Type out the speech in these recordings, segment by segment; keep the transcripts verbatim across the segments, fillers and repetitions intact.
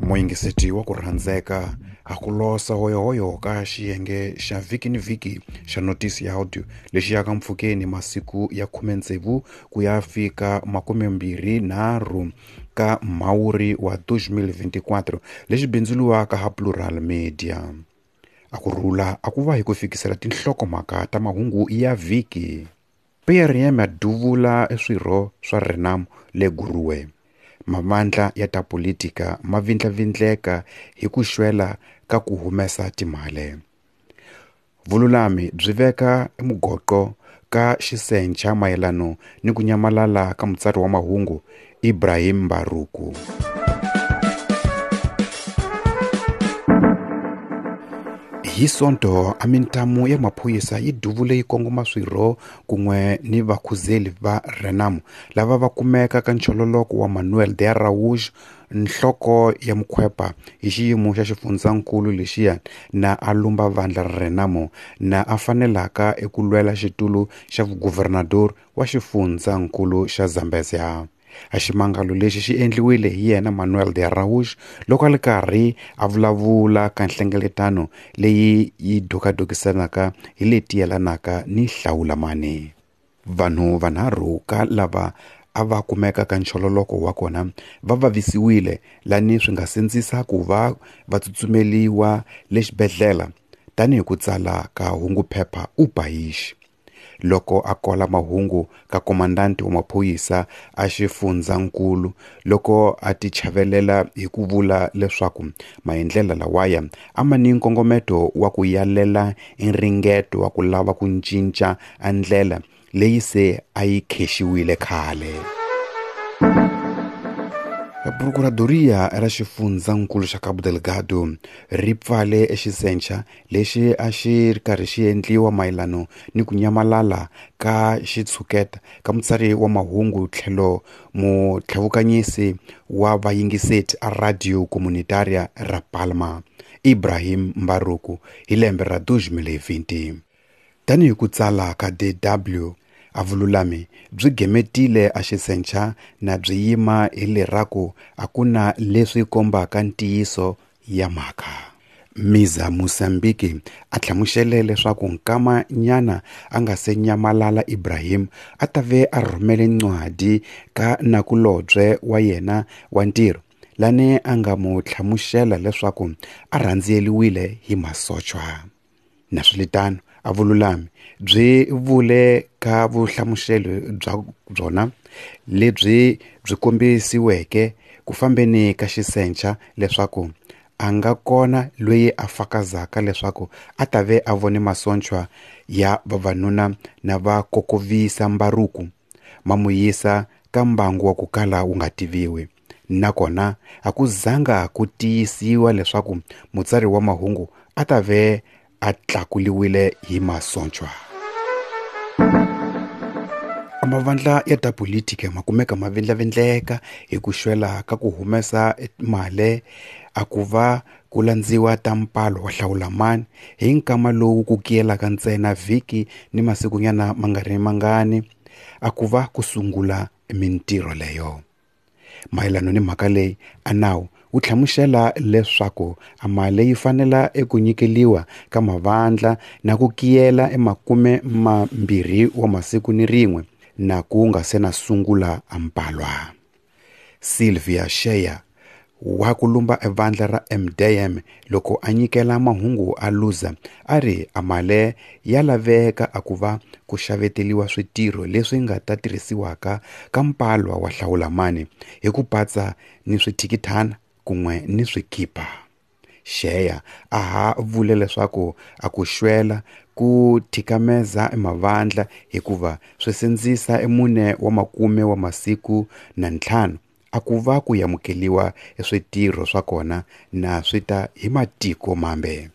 Muyingiseti wa ku rhandzeka a ku losa hoyohoyo ka xiyenge xa vhiki ni vhiki xa notisi ya audio lexi yaka mpfhukeni masiku ya khume tsevu ku ya fika makumembirhi nharhu ka Mhawuri wa twenty twenty-four lexi bindzuriwaka ha Plural Media. A ku rhula a ku va hi ku fikisela tinhlokomhaka ta mahungu ya vhiki. P R M ya duvula swirho swa Renamo le Guruwe. Mavandla ya ta politika ma vindlavindleka hi ku xwela ka ku humesa timali. Vululami byi veka mugoqo ka xisencha mayelano ni ku nyamalala ka mutsari wa mahungu Ibrahim Mbaruku. Hi Sonto a mintamu ya maphorisa yi duvule yi kongoma swirho kun'we ni vakhuzeli va Renamo lava va kumeka ka nchololoko wa Manuel de Araújo, nhloko ya mukhwepa hi xiyimo xa xifundzankulu lexiya na a lumba vandla ra Renamo na a fanelaka eku lwela xitulu xa vuguvernador wa xifundzankulu xa Zambezia. A ximangalo lexi xi endliwile hi yena Manuel de Araújo loko a ri karhi a vulavula ka nhlengeletano leyi yi dokadokisanaka hi leti yelanaka ni hlawulamani. Vanhu vanharhu ka lava a va kumeka ka nchololoko wa kona va vavisiwile lani swi nga sindzisa ku va va tsutsumeliwa le xibedhlele tanihi ku tsala ka hunguphepha U País. Loko a kola mahungu ka komandanti wa maphorisa a xifundzankulu loko a tichavelela hi ku vula leswaku maendlelo lawaya a ma ni nkongometo wa ku yalela nringeto wa ku lava ku cinca a ndlela leyi se a yi khexiwile khale. Procuradoria ra xifundzankulu xa Cabo Delgado ri pfale exisencha lexi a xi ri karhi xi endliwa mayelano ni ku nyamalala ka xitshuketa ka mutsari wa mahungu tlhelo mutlhavukanyisi wa vayingiseti a Radio Comunitaria ra Palma Ibrahim Mbaruku hi lembe ra twenty twenty. Tanihi ku tsala ka D W, a vululami byi gemetile a xisencha na byi yima hi leraku a ku na leswi kombaka ntiyiso ya mhaka. Miza Mozambique a hlamusele leswaku nkama nyana a nga se nyamalala Ibrahim a ta ve a rhumele ncwadi ka nakulobye wa yena wa ntirho lani a nga mu hlamusela leswaku a rhandziyeliwile hi masochwa. Naswilitano a vululami byi vule ka vuhlamuselo bya byona lebyi byi kombisiweke ku fambeni ka xisencha leswaku a nga kona loyi a fakazaka leswaku a ta ve a vone masochwa ya vavanuna na va kokovisa Mbaruku ma mu yisa ka mbangu wa ku kala wu nga tiviwi. Nakona a ku zanga ku tiyisiwa leswaku mutsari wa mahungu a ta ve a tlakuliwile hi masochwa. Mavandla ya ta politika ma kumeka ma vindlavindleka hi ku xwela ka ku humesa mali a ku va ku landziwa ta mpalo wa hlawulamani hi nkama lowu ku kiyelaka ntsena vhiki ni masikunyana ma nga ri mangani a ku va ku sungula mintirho leyo. Mayelano ni mhaka leyi a nawu wu hlamusela leswaku a mali yi fanela eku nyikeliwa ka mavandla na ku kiyela emakume mambirhi wa masiku ni rin'we na ku nga se na sungula a mpalwa. Sylvia Sheya wa ku lumba evandla ra M D M loko a nyikela mahungu a luza a ri a mali ya laveka a ku va ku xaveteliwa switirho leswi nga ta tirhisiwaka ka mpalwa wa hlawulamani hi ku patsa ni swithikithana kun'we ni swikipa. Sheya a ha vule leswaku a ku xwela ku thikameza emavandla hikuva swi sindzisa emune wa makume wa masiku na ntlhanu a ku va ku amukeliwa switirho swa kona na swi ta hi matiko mambe.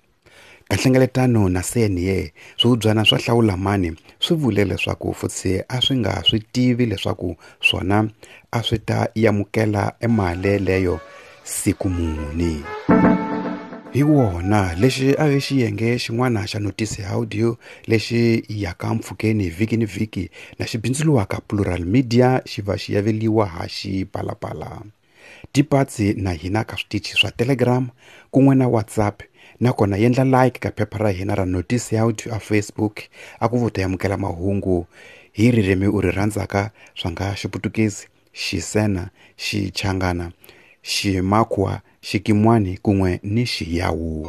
Ka nhlengeletano na C N A swihubyana swa hlawulamani swi vule leswaku futsi a swi nga swi tivi leswaku swona a swi ta amukela emali leyo siku muni. Hi wona lexi a vi xiyenge xin'wana xa notisi audio lexi yaka mpfhukeni vhiki ni vhiki na xi bindzuriwaka Plural Media xi va xi yaveliwa ha Xipalapala. Tipatsi na hina ka switichi swa Telegram kun'we na WhatsApp, nakona yendla like ka phepha ra hina ra Notice Audio a Facebook a ku vuta yamukela mahungu hi ririmi u ri rhandzaka swa nga Xiputukezi, Xisena, Xichangana, Ximakwa, Xikimwani kun'we ni Xiyawu.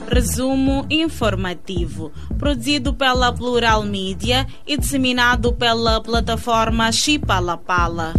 Resumo informativo, produzido pela Plural Mídia e disseminado pela plataforma Chipalapala.